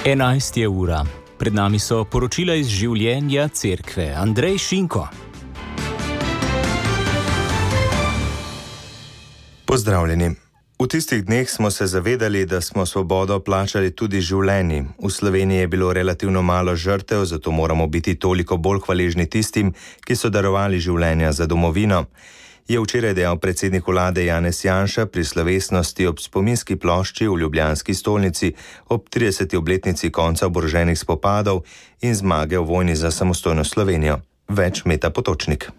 11 je ura. Pred nami so poročila iz življenja cerkve. Andrej Šinko. Pozdravljeni. V tistih dneh smo se zavedali, da smo svobodo plačali tudi življenji. V Sloveniji je bilo relativno malo žrtev, zato moramo biti toliko bolj hvaležni tistim, ki so darovali življenja za domovino, je včeraj dejal predsednik vlade Janez Janša pri slovesnosti ob spominski plošči v ljubljanski stolnici ob 30. obletnici konca oboroženih spopadov in zmage v vojni za samostojno Slovenijo. Več Meta Potočnik.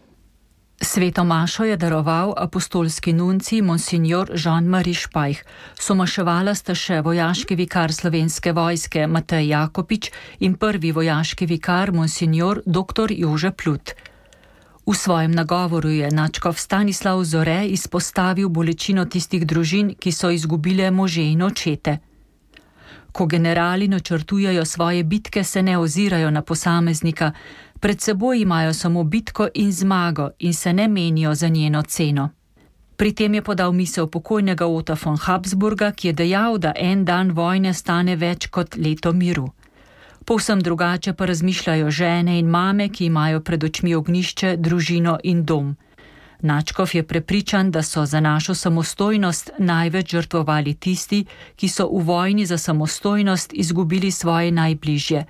Sveto mašo je daroval apostolski nuncij monsignor Jean-Marie Špajh. Somaševala sta še vojaški vikar Slovenske vojske Matej Jakopič in prvi vojaški vikar monsignor dr. Jože Plut. V svojem nagovoru je nadškof Stanislav Zore izpostavil bolečino tistih družin, ki so izgubile može in očete. Ko generali načrtujejo svoje bitke, se ne ozirajo na posameznika, pred seboj imajo samo bitko in zmago in se ne menijo za njeno ceno. Pri tem je podal misel pokojnega Ota von Habsburga, ki je dejal, da en dan vojne stane več kot leto miru. Povsem drugače pa razmišljajo žene in mame, ki imajo pred očmi ognjišče, družino in dom. Nadškof je prepričan, da so za našo samostojnost največ žrtvovali tisti, ki so v vojni za samostojnost izgubili svoje najbližje.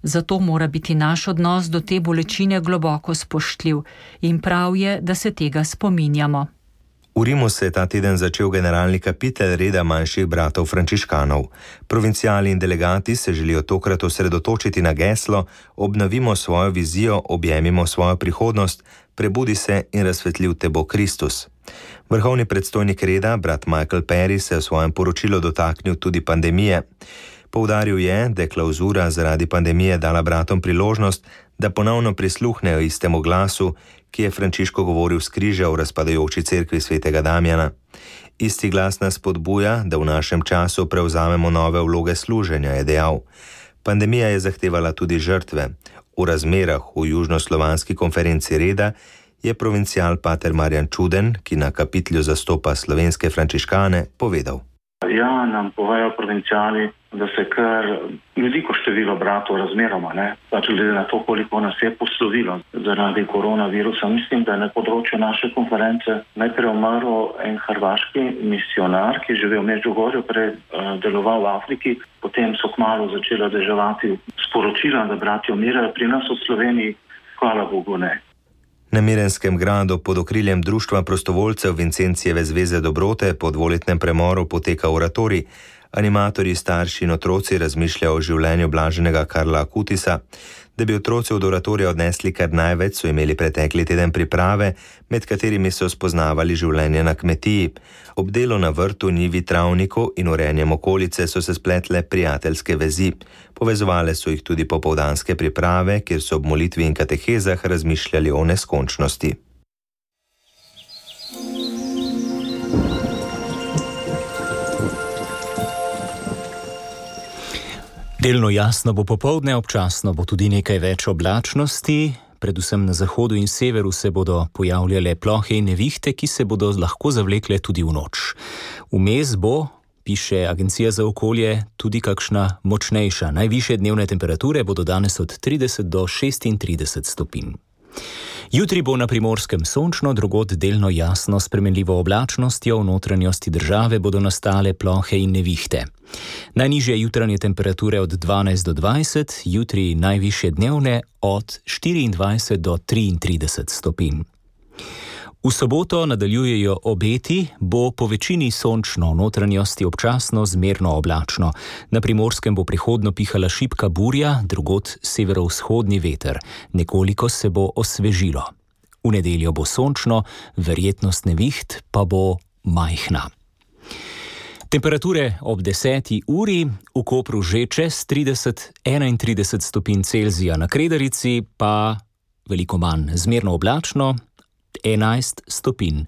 Zato mora biti naš odnos do te bolečine globoko spoštljiv in prav je, da se tega spominjamo. V Rimu se je ta teden začel generalni kapitel reda manjših bratov frančiškanov. Provinciali in delegati se želijo tokrat osredotočiti na geslo Obnovimo svojo vizijo, objemimo svojo prihodnost, prebudi se in razsvetljiv te bo Kristus. Vrhovni predstojnik reda, brat Michael Perry, se je v svojem poročilu dotaknil tudi pandemije. Poudaril je, da je klavzura zaradi pandemije dala bratom priložnost, da ponovno prisluhnejo istemu glasu, ki je Frančiško govoril s križa v razpadajoči cerkvi svetega Damjana. Isti glas nas spodbuja, da v našem času prevzamemo nove vloge služenja, je dejal. Pandemija je zahtevala tudi žrtve. V razmerah v južnoslovanski konferenci reda je provincial pater Marjan Čuden, ki na kapitlju zastopa slovenske frančiškane, povedal. Ja, nam povejo provinciali, da se kar veliko število bratov razmeroma, pač glede na to, koliko nas je poslovilo zaradi koronavirusa. Mislim, da je na področju naše konference najprej umrl en hrvaški misionar, ki je živel v Medžugorju, prej deloval v Afriki, potem so kmalu začela deževati sporočila, da bratje umirajo, pri nas v Sloveniji, hvala Bogu, ne. Na Mirenskem gradu pod okriljem Društva prostovoljcev Vincencijeve zveze dobrote po dvoletnem premoru poteka oratorij. Animatorji, starši in otroci razmišljajo o življenju blaženega Karla Akutisa. Da bi otroci od oratorija odnesli kar največ, so imeli pretekli teden priprave, med katerimi so spoznavali življenje na kmetiji. Ob delu na vrtu, njivi, travniku in urejanjem okolice so se spletle prijateljske vezi. Povezovale so jih tudi popoldanske priprave, kjer so ob molitvi in katehezah razmišljali o neskončnosti. Delno jasno bo popoldne, občasno bo tudi nekaj več oblačnosti, predvsem na zahodu in severu se bodo pojavljale plohe in nevihte, ki se bodo lahko zavlekle tudi v noč. Vmes bo, piše Agencija za okolje, tudi kakšna močnejša. Najvišje dnevne temperature bodo danes od 30 do 36 stopinj. Jutri bo na Primorskem sončno, drugod delno jasno, s spremenljivo oblačnostjo, v notranjosti države bodo nastale plohe in nevihte. Najnižje jutranje temperature od 12 do 20, jutri najvišje dnevne od 24 do 33 stopinj. V soboto nadaljujejo obeti, bo po večini sončno, v notranjosti občasno zmerno oblačno. Na Primorskem bo prihodno pihala šibka burja, drugod severovzhodni veter. Nekoliko se bo osvežilo. V nedeljo bo sončno, verjetnost neviht pa bo majhna. Temperature ob 10. uri, v Kopru že čez 30-31 stopinj Celzija, na Kredarici pa veliko manj, zmerno oblačno, 11 stopinj.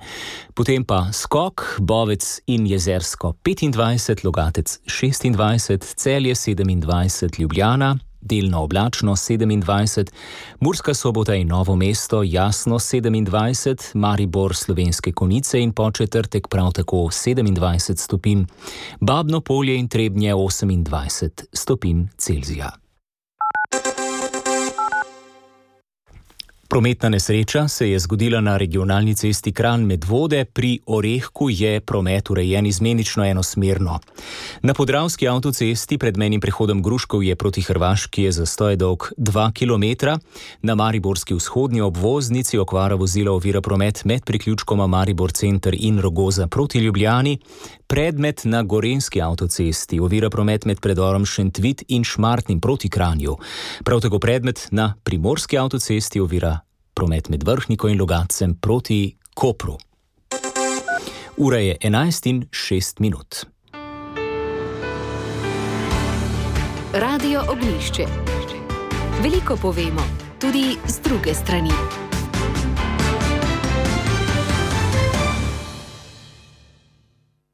Potem pa Skok, Bovec in Jezersko 25, Logatec 26, Celje 27, Ljubljana delno oblačno 27, Murska Sobota in Novo mesto jasno 27, Maribor, Slovenske Konjice in Podčetrtek prav tako 27 stopinj, Babno Polje in Trebnje 28 stopinj Celzija. Prometna nesreča se je zgodila na regionalni cesti Kranj-Medvode. Pri Orehku je promet urejen izmenično enosmerno. Na podravski avtocesti pred mejnim prehodom Gruškovje proti Hrvaški je zastoj dolg 2 km. Na mariborski vzhodni obvoznici okvara vozila ovira promet med priključkoma Maribor Center in Rogoza proti Ljubljani. Predmet na gorenjski avtocesti ovira promet med predorom Šentvit in Šmartnim proti Kranju. Prav tako predmet na primorski avtocesti ovira promet med Vrhniko in Logatcem proti Kopru. Ura je 11:06. Radio Ognjišče. Veliko povemo, tudi z druge strani.